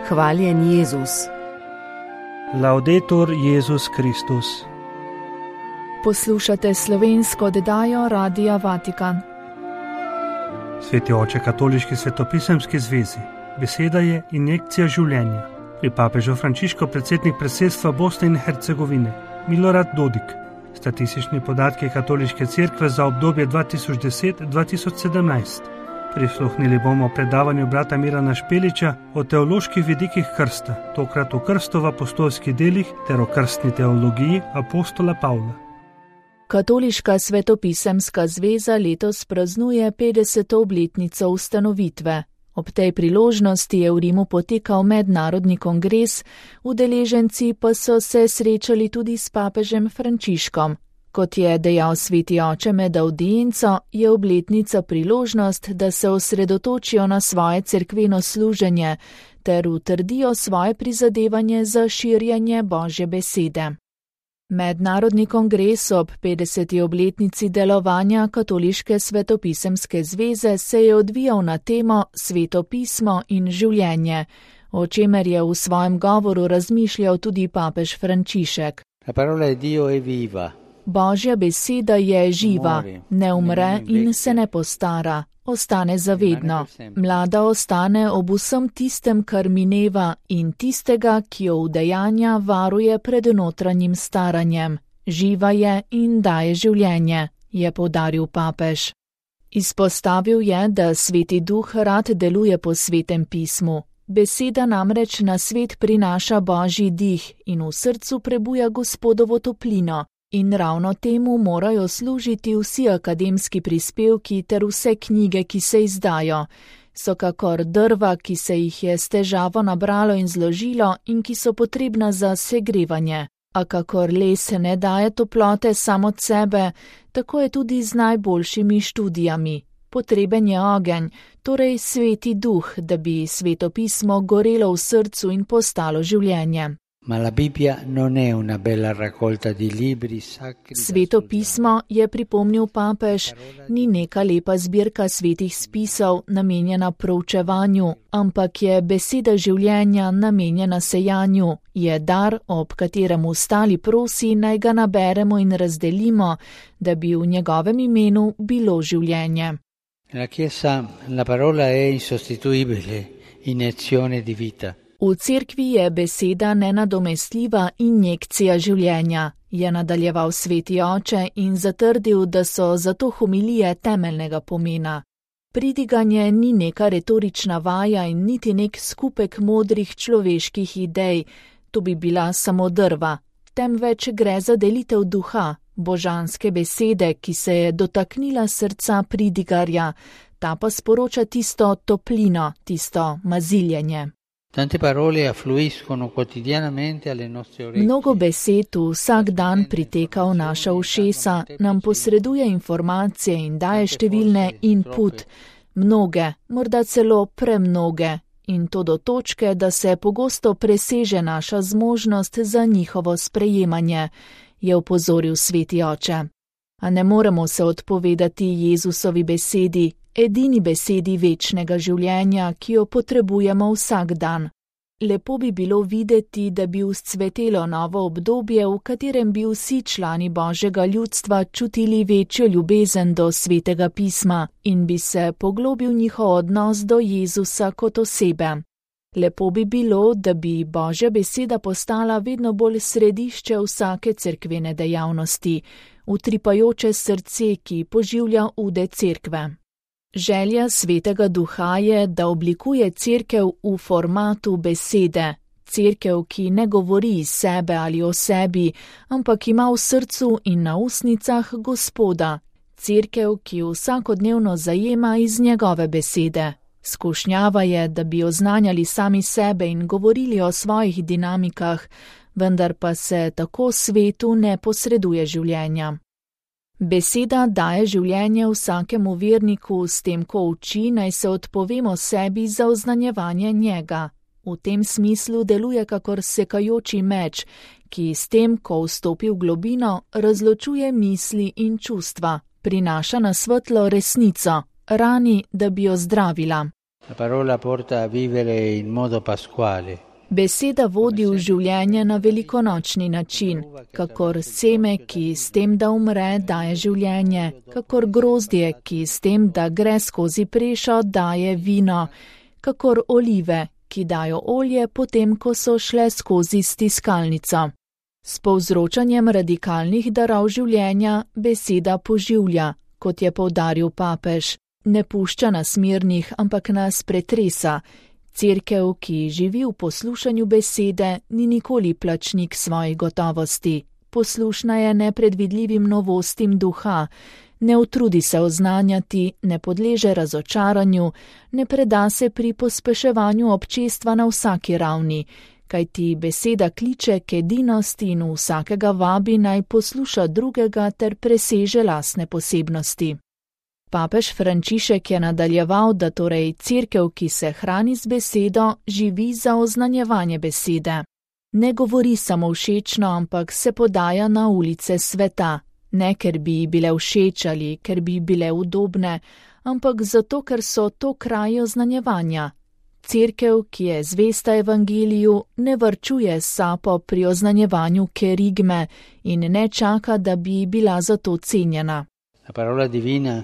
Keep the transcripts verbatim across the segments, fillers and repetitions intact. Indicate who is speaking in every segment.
Speaker 1: Hvaljen Jezus.
Speaker 2: Laudetur Jezus Kristus.
Speaker 3: Poslušate slovensko oddajo Radia Vatikan.
Speaker 2: Sveti oče Katoliški svetopisemski zvezi. Beseda je injekcija življenja. Pri papežu Frančišku predsednik predsedstva Bosne in Hercegovine Milorad Dodik. Statistični podatki Katoliške cerkve za obdobje dva tisoč deset do dva tisoč sedemnajst. Prisluhnili bomo predavanju brata Mirana Špeliča o teoloških vidikih krsta, tokrat o krstu v apostolskih delih ter o krstni teologiji apostola Pavla.
Speaker 3: Katoliška svetopisemska zveza letos praznuje petdeseto obletnico ustanovitve. Ob tej priložnosti je v Rimu potekal mednarodni kongres, udeleženci pa so se srečali tudi s papežem Frančiškom. Kot je dejal sveti oče med avdienco, je obletnica priložnost, da se osredotočijo na svoje cerkveno služenje ter utrdijo svoje prizadevanje za širjenje Božje besede. Mednarodni kongres ob petdeseti obletnici delovanja Katoliške svetopisemske zveze se je odvijal na temo Sveto pismo in življenje, o čemer je v svojem govoru razmišljal tudi papež Frančišek.
Speaker 4: La parola di Dio è viva.
Speaker 3: Božja beseda je živa, ne umre in se ne postara, ostane zavedno. Mlada ostane ob vsem tistem, kar mineva, in tistega, ki jo udejanja, varuje pred notranjim staranjem. Živa je in daje življenje, je poudaril papež. Izpostavil je, da Sveti Duh rad deluje po Svetem pismu. Beseda namreč na svet prinaša Božji dih in v srcu prebuja Gospodovo toplino. In ravno temu morajo služiti vsi akademski prispevki ter vse knjige, ki se izdajo. So kakor drva, ki se jih je s težavo nabralo in zložilo in ki so potrebna za segrevanje. A kakor les ne daje toplote samo od sebe, tako je tudi z najboljšimi študijami. Potreben je ogenj, torej Sveti Duh, da bi Sveto pismo gorelo v srcu in postalo življenje.
Speaker 4: Ma la Bibbia non è una bella raccolta di libri sacri.
Speaker 3: Sveto pismo, je pripomnil papež, ni neka lepa zbirka svetih spisov namenjena proučevanju, ampak je beseda življenja namenjena sejanju, je dar, ob katerem ostali prosi, naj ga naberemo in razdelimo, da bi v njegovem imenu bilo življenje.
Speaker 4: Nella Chiesa la parola è insostituibile, iniezione di vita.
Speaker 3: V cerkvi je beseda nenadomestljiva injekcija življenja, je nadaljeval sveti oče in zatrdil, da so zato homilije temeljnega pomena. Pridiganje ni neka retorična vaja in niti nek skupek modrih človeških idej, to bi bila samo drva, temveč gre za delitev duha, božanske besede, ki se je dotaknila srca pridigarja, ta pa sporoča tisto toplino, tisto maziljenje.
Speaker 4: Tante parole affluiscono quotidianamente alle nostre orecchie.
Speaker 3: Mnogo besed vsak dan priteka v naša ušesa, nam posreduje informacije in daje številne input, mnoge, morda celo premnoge, in to do točke, da se pogosto preseže naša zmožnost za njihovo sprejemanje, je opozoril sveti oče. A ne moremo se odpovedati Jezusovi besedi, edini besedi večnega življenja, ki jo potrebujemo vsak dan. Lepo bi bilo videti, da bi vzcvetelo novo obdobje, v katerem bi vsi člani Božjega ljudstva čutili večjo ljubezen do Svetega pisma in bi se poglobil njihov odnos do Jezusa kot osebe. Lepo bi bilo, da bi Božja beseda postala vedno bolj središče vsake cerkvene dejavnosti, utripajoče srce, ki poživlja ude cerkve. Želja Svetega Duha je, da oblikuje cerkev v formatu besede, cerkev, ki ne govori iz sebe ali o sebi, ampak ima v srcu in na ustnicah Gospoda, cerkev, ki vsakodnevno zajema iz njegove besede. Skušnjava je, da bi oznanjali sami sebe in govorili o svojih dinamikah, vendar pa se tako svetu ne posreduje življenja. Beseda daje življenje vsakemu verniku, s tem, ko uči, naj se odpovemo sebi za oznanjevanje njega. V tem smislu deluje kakor sekajoči meč, ki s tem, ko vstopi v globino, razločuje misli in čustva, prinaša na svetlo resnico, rani, da bi jo zdravila.
Speaker 4: La parola porta a vivere in modo pasquale.
Speaker 3: Beseda vodi v življenje na velikonočni način, kakor seme, ki s tem, da umre, daje življenje, kakor grozdje, ki s tem, da gre skozi prešo, daje vino, kakor olive, ki dajo olje potem, ko so šle skozi stiskalnico. S povzročanjem radikalnih darov življenja beseda poživlja, kot je poudaril papež, ne pušča nas mirnih, ampak nas pretresa. Cerkev, ki živi v poslušanju besede, ni nikoli plačnik svojih gotovosti. Poslušna je nepredvidljivim novostim duha, ne utrudi se oznanjati, ne podleže razočaranju, ne preda se pri pospeševanju občestva na vsaki ravni, kajti beseda kliče k edinosti in vsakega vabi naj posluša drugega ter preseže lastne posebnosti. Papež Frančišek je nadaljeval, da torej cerkev, ki se hrani z besedo, živi za oznanjevanje besede. Ne govori samo všečno, ampak se podaja na ulice sveta, ne ker bi ji bile všeč ali ker bi bile udobne, ampak zato, ker so to kraji oznanjevanja. Cerkev, ki je zvesta evangeliju, ne varčuje sapo pri oznanjevanju kerigme in ne čaka, da bi bila za to cenjena.
Speaker 4: La parola divina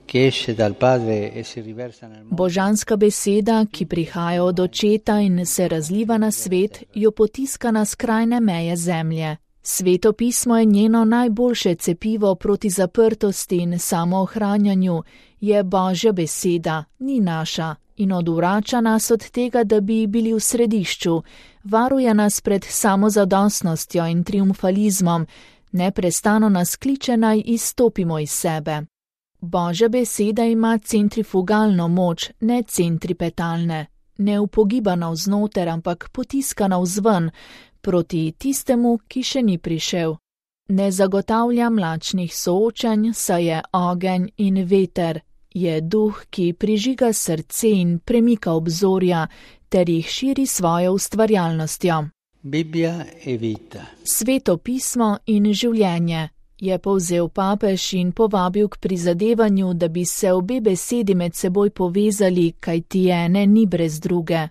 Speaker 4: che esce dal Padre e si riversa nel mondo.
Speaker 3: Božanska beseda, ki prihaja od Očeta in se razliva na svet, jo potiska na skrajne meje zemlje. Sveto pismo je njeno najboljše cepivo proti zaprtosti in samoohranjanju, je Božja beseda, ni naša, in odvrača nas od tega, da bi bili v središču, varuje nas pred samozadostnostjo in triumfalizmom, neprestano nas kliče naj izstopimo iz sebe. Božja beseda ima centrifugalno moč, ne centripetalne, ne upogiba navznoter, ampak potiska navzven, proti tistemu, ki še ni prišel. Ne zagotavlja mlačnih soočenj, saj je ogenj in veter, je duh, ki prižiga srce in premika obzorja, ter jih širi svojo ustvarjalnostjo.
Speaker 4: Biblija e vita.
Speaker 3: Sveto pismo in življenje. Je povzel papež in povabil k prizadevanju, da bi se obe besedi med seboj povezali, kajti ene ni brez druge.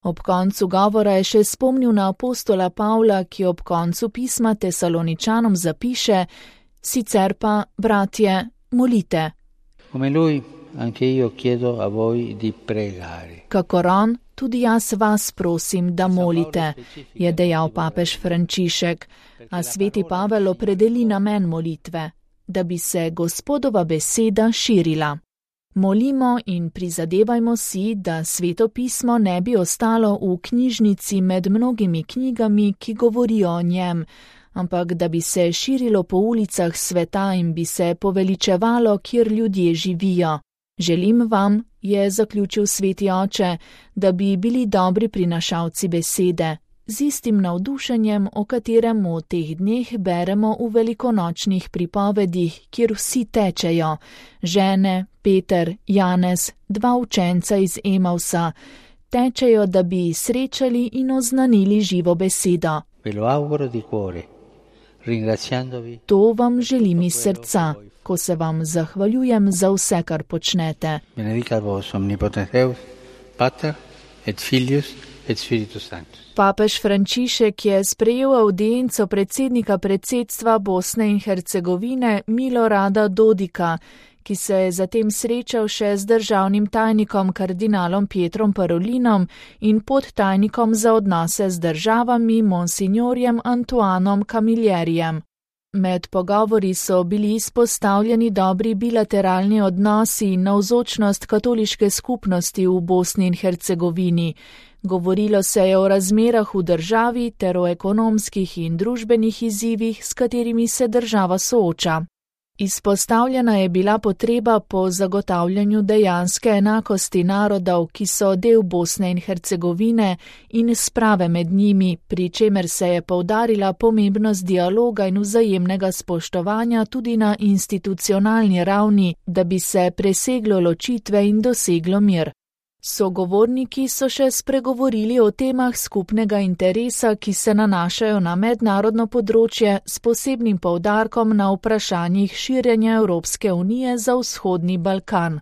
Speaker 3: Ob koncu govora je še spomnil na apostola Pavla, ki ob koncu pisma Tesaloničanom zapiše: sicer pa, bratje, molite.
Speaker 4: Come lui, anche io chiedo a voi di pregare.
Speaker 3: Kakor on, tudi jaz vas prosim, da molite, je dejal papež Frančišek, a sveti Pavel opredeli namen molitve, da bi se Gospodova beseda širila. Molimo in prizadevajmo si, da sveto pismo ne bi ostalo v knjižnici med mnogimi knjigami, ki govorijo o njem, ampak da bi se širilo po ulicah sveta in bi se poveličevalo, kjer ljudje živijo. Želim vam, je zaključil sveti oče, da bi bili dobri prinašalci besede, z istim navdušenjem, o katerem v teh dneh beremo v velikonočnih pripovedih, kjer vsi tečejo, žene, Peter, Janez, dva učenca iz Emausa, tečejo, da bi srečali in oznanili živo besedo. To vam želim iz srca, ko se vam zahvaljujem za vse, kar počnete.
Speaker 4: Benedicat vos omnipotens Deus, Pater et Filius et Spiritus Sanctus.
Speaker 3: Papež Frančišek je sprejel avdienco predsednika predsedstva Bosne in Hercegovine Milorada Dodika, ki se je zatem srečal še z državnim tajnikom kardinalom Pietrom Parolinom in podtajnikom za odnose z državami monsignorjem Antoanom Camillerijem. Med pogovori so bili izpostavljeni dobri bilateralni odnosi in navzočnost katoliške skupnosti v Bosni in Hercegovini. Govorilo se je o razmerah v državi ter o ekonomskih in družbenih izzivih, s katerimi se država sooča. Izpostavljena je bila potreba po zagotavljanju dejanske enakosti narodov, ki so del Bosne in Hercegovine, in sprave med njimi, pri čemer se je poudarila pomembnost dialoga in vzajemnega spoštovanja tudi na institucionalni ravni, da bi se preseglo ločitve in doseglo mir. Sogovorniki so še spregovorili o temah skupnega interesa, ki se nanašajo na mednarodno področje s posebnim poudarkom na vprašanjih širjenja Evropske unije za vzhodni Balkan.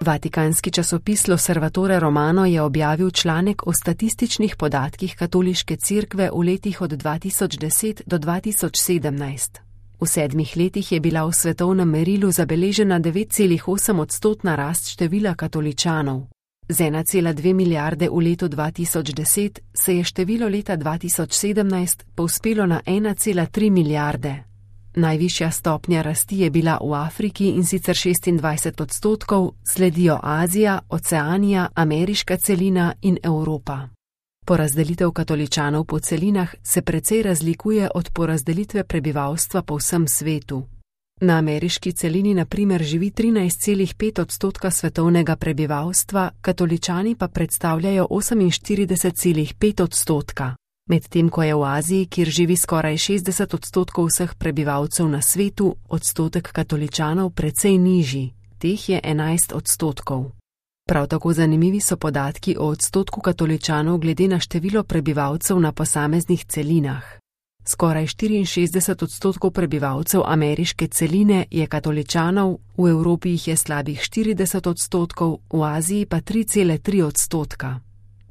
Speaker 1: Vatikanski časopis L'Osservatore Romano je objavil članek o statističnih podatkih katoliške cerkve v letih od dva tisoč deset do dva tisoč sedemnajst. V sedmih letih je bila v svetovnem merilu zabeležena devet celih osem odstotna rast števila katoličanov. Z ena cela dve milijarde v letu dva tisoč deset se je število leta dva tisoč sedemnajst povzpelo na ena cela tri milijarde. Najvišja stopnja rasti je bila v Afriki, in sicer šestindvajset odstotkov, sledijo Azija, Oceanija, ameriška celina in Evropa. Porazdelitev katoličanov po celinah se precej razlikuje od porazdelitve prebivalstva po vsem svetu. Na ameriški celini na primer živi trinajst celih pet odstotka svetovnega prebivalstva, katoličani pa predstavljajo oseminštirideset celih pet odstotka. Medtem ko je v Aziji, kjer živi skoraj šestdeset odstotkov vseh prebivalcev na svetu, odstotek katoličanov precej nižji, teh je enajst odstotkov. Prav tako zanimivi so podatki o odstotku katoličanov glede na število prebivalcev na posameznih celinah. Skoraj štiriinšestdeset odstotkov prebivalcev ameriške celine je katoličanov, v Evropi jih je slabih štirideset odstotkov, v Aziji pa tri cele tri odstotka.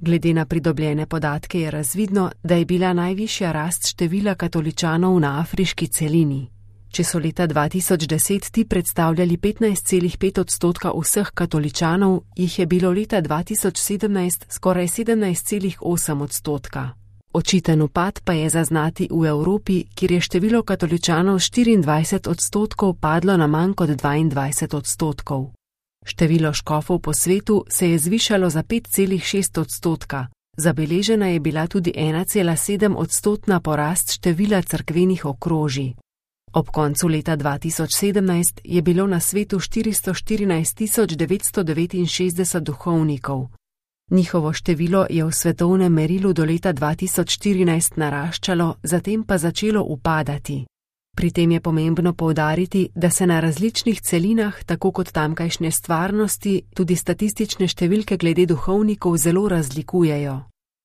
Speaker 1: Glede na pridobljene podatke je razvidno, da je bila najvišja rast števila katoličanov na afriški celini. Če so leta dva tisoč deset ti predstavljali petnajst celih pet odstotka vseh katoličanov, jih je bilo leta dva tisoč sedemnajst skoraj sedemnajst celih osem odstotka. Očiten upad pa je zaznati v Evropi, kjer je število katoličanov štiriindvajset odstotkov padlo na manj kot dvaindvajset odstotkov. Število škofov po svetu se je zvišalo za pet celih šest odstotka. Zabeležena je bila tudi ena cela sedem odstotna porast števila cerkvenih okrožij. Ob koncu leta dva tisoč sedemnajst je bilo na svetu štiristo štirinajst tisoč devetsto devetinšestdeset duhovnikov. Njihovo število je v svetovnem merilu do leta dva tisoč štirinajst naraščalo, zatem pa začelo upadati. Pri tem je pomembno poudariti, da se na različnih celinah, tako kot tamkajšnje stvarnosti, tudi statistične številke glede duhovnikov zelo razlikujejo.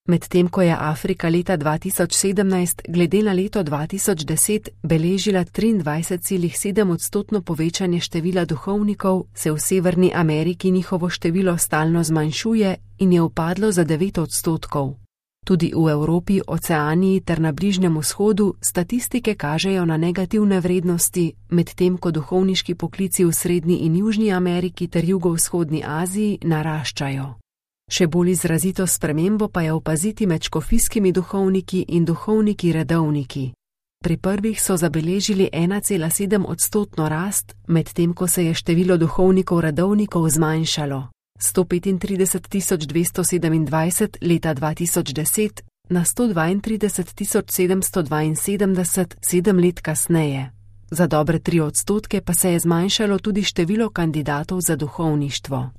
Speaker 1: Medtem ko je Afrika leta dva tisoč sedemnajst glede na leto dva tisoč deset beležila triindvajset celih sedem odstotno povečanje števila duhovnikov, se v Severni Ameriki njihovo število stalno zmanjšuje in je upadlo za devet odstotkov. Tudi v Evropi, Oceaniji ter na Bližnjem vzhodu statistike kažejo na negativne vrednosti, medtem ko duhovniški poklici v Srednji in Južni Ameriki ter Jugovzhodni Aziji naraščajo. Še bolj izrazito spremembo pa je opaziti med škofijskimi duhovniki in duhovniki redovniki. Pri prvih so zabeležili ena cela sedem odstotno rast, medtem ko se je število duhovnikov redovnikov zmanjšalo. sto petintrideset tisoč dvesto sedemindvajset leta dva tisoč deset na sto dvaintrideset tisoč sedemsto dvainsedemdeset sedem let kasneje. Za dobre tri odstotke pa se je zmanjšalo tudi število kandidatov za duhovništvo.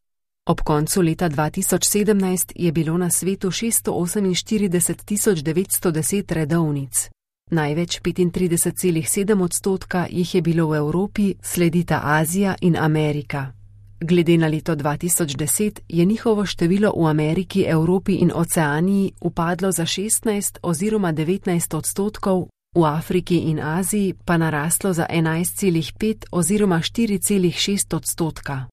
Speaker 1: Ob koncu leta dva tisoč sedemnajst je bilo na svetu šeststo oseminštirideset tisoč devetsto deset redovnic. Največ petintrideset celih sedem odstotka jih je bilo v Evropi, sledita Azija in Amerika. Glede na leto dva tisoč deset je njihovo število v Ameriki, Evropi in Oceaniji upadlo za šestnajst oziroma devetnajst odstotkov, v Afriki in Aziji pa naraslo za enajst celih pet oziroma štiri celih šest odstotka.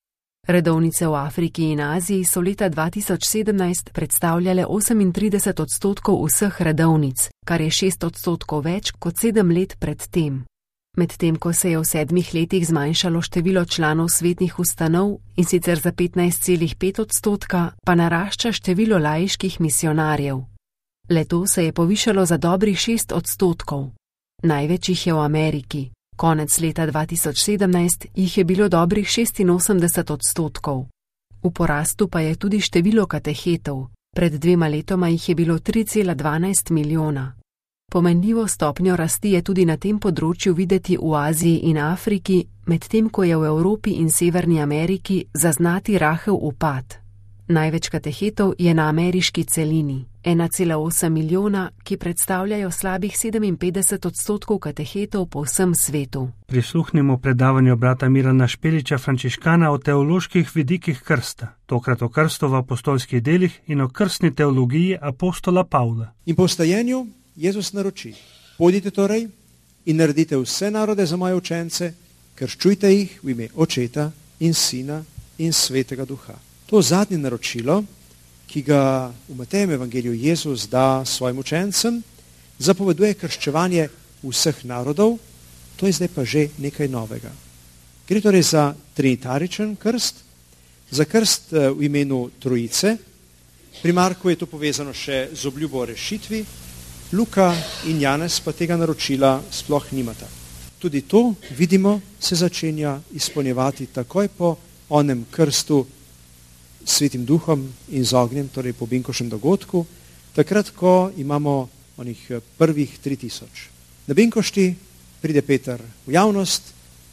Speaker 1: Redovnice v Afriki in Aziji so leta dva tisoč sedemnajst predstavljale osemintrideset odstotkov vseh redovnic, kar je šest odstotkov več kot sedem let pred tem. Medtem ko se je v sedmih letih zmanjšalo število članov svetnih ustanov, in sicer za petnajst celih pet odstotka, pa narašča število laiških misionarjev. Le-to se je povišalo za dobrih šest odstotkov. Največ jih je v Ameriki. Konec leta dva tisoč sedemnajst jih je bilo dobrih šestinosemdeset odstotkov. V porastu pa je tudi število katehetov. Pred dvema letoma jih je bilo tri cela dvanajst milijona. Pomenljivo stopnjo rasti je tudi na tem področju videti v Aziji in Afriki, medtem ko je v Evropi in Severni Ameriki zaznati rahel upad. Največ katehetov je na ameriški celini, ena cela osem milijona, ki predstavljajo slabih sedeminpetdeset odstotkov katehetov po vsem svetu.
Speaker 2: Prisluhnimo predavanju brata Milana Špeliča, frančiškana, o teoloških vidikih krsta, tokrat o krstu v apostolskih delih in o krstni teologiji apostola Pavla.
Speaker 5: In po vstajenju Jezus naroči: pojdite torej in naredite vse narode za moje učence, krščujte jih v ime Očeta in Sina in Svetega Duha. To zadnje naročilo, ki ga v Matejevem evangeliju Jezus da svojim učencem, zapoveduje krščevanje vseh narodov, to je zdaj pa že nekaj novega. Gre torej za trinitaričen krst, za krst v imenu Trojice. Pri Marku je to povezano še z obljubo o rešitvi, Luka in Janez pa tega naročila sploh nimata. Tudi to, vidimo, se začenja izpolnjevati takoj po onem krstu s Svetim Duhom in z ognjem, torej po Binkošem dogodku, takrat, ko imamo onih prvih tri tisoč. Na Binkošti pride Peter v javnost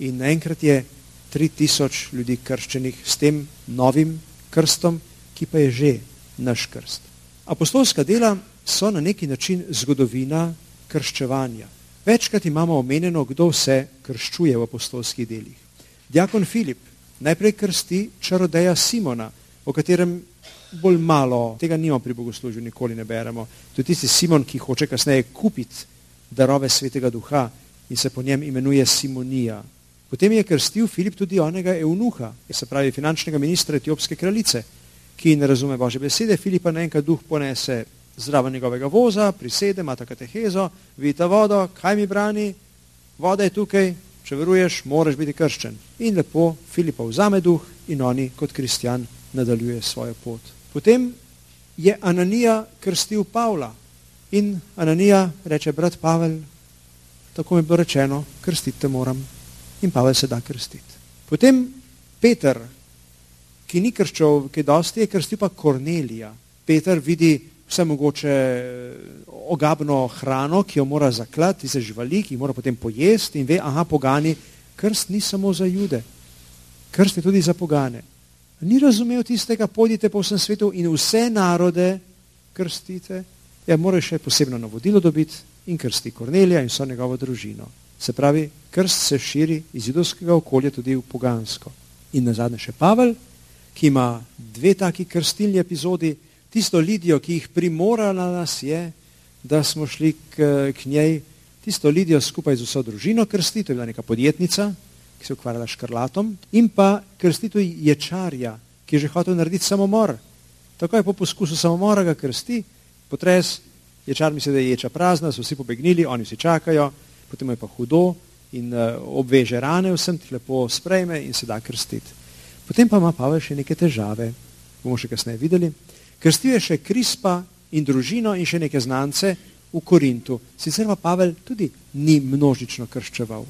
Speaker 5: in naenkrat je tri tisoč ljudi krščenih s tem novim krstom, ki pa je že naš krst. Apostolska dela so na neki način zgodovina krščevanja. Večkrat imamo omenjeno, kdo vse krščuje v apostolskih delih. Diakon Filip najprej krsti čarodeja Simona, o katerem bolj malo, tega nimamo pri bogoslužju, nikoli ne beremo. To je tisti Simon, ki hoče kasneje kupiti darove Svetega Duha in se po njem imenuje Simonija. Potem je krstil Filip tudi onega eunuha, se pravi finančnega ministra etiopske kraljice, ki ne razume Božje besede. Filipa naenkrat Duh ponese zraven njegovega voza, prisede, ima ta katehezo, vidite vodo, kaj mi brani, voda je tukaj, če veruješ, moraš biti krščen. In lepo Filipa vzame Duh in oni kot kristjan nadaljuje svojo pot. Potem je Ananija krstil Pavla in Ananija reče, brat Pavel, tako mi je bilo rečeno, krstiti moram. In Pavel se da krstiti. Potem Peter, ki ni krščal, ki dosti je krstil pa Kornelija. Peter vidi vse mogoče ogabno hrano, ki jo mora zaklati, tiste živali, ki jih mora potem pojesti in ve, aha, pogani, krst ni samo za Jude, krst je tudi za pogane. Ni razumel tistega, pojdite po vsem svetu in vse narode krstite. Ja, moraš še posebno navodilo dobiti in krsti Kornelija in so njegovo družino. Se pravi, krst se širi iz judovskega okolja tudi v pogansko. In nazadnje še Pavel, ki ima dve taki krstilni epizodi, tisto Lidijo, ki jih primorala nas je, da smo šli k, k njej, tisto Lidijo skupaj z vso družino krsti, to je bila neka podjetnica, ki se je ukvarjala škrlatom, in pa krsti tudi ječarja, ki je že hotel narediti samomor. Takoj po poskusu samomora ga krsti, potres, ječar misli, da je ječa prazna, so vsi pobegnili, oni vsi čakajo, potem je pa hudo in uh, obveže rane, vsem tih lepo sprejme in se da krstiti. Potem pa ima Pavel še neke težave, bomo še kasneje videli. Krstil je še Krispa in družino in še neke znance v Korintu. Sicer pa Pavel tudi ni množično krščeval,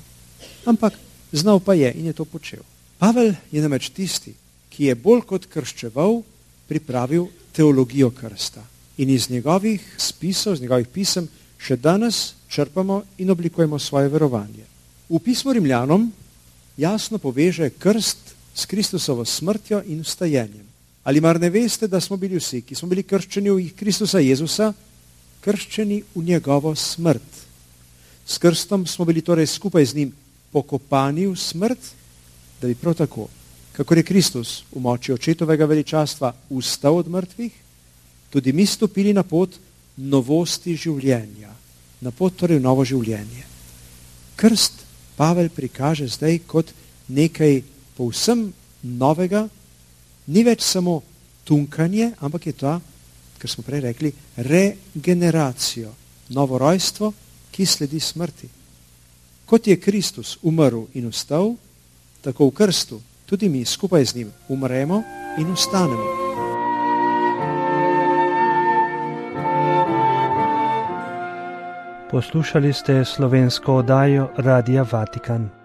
Speaker 5: ampak znal pa je in je to počel. Pavel je namreč tisti, ki je bolj kot krščeval pripravil teologijo krsta. In iz njegovih spisov, iz njegovih pisem še danes črpamo in oblikujemo svoje verovanje. V pismu Rimljanom jasno poveže krst s Kristusovo smrtjo in vstajenjem. Ali mar ne veste, da smo bili vsi, ki smo bili krščeni v Kristusa Jezusa, krščeni v njegovo smrt. S krstom smo bili torej skupaj z njim pokopani v smrt, da bi prav tako, kakor je Kristus v moči očetovega veličastva vstal od mrtvih, tudi mi stopili na pot novosti življenja, na pot torej v novo življenje. Krst Pavel prikaže zdaj kot nekaj povsem novega, ni več samo tunkanje, ampak je to, kar smo prej rekli, regeneracijo, novo rojstvo, ki sledi smrti. Kot je Kristus umrl in vstal, tako v krstu tudi mi skupaj z njim umremo in vstanemo.
Speaker 2: Poslušali ste slovensko oddajo Radia Vatikan.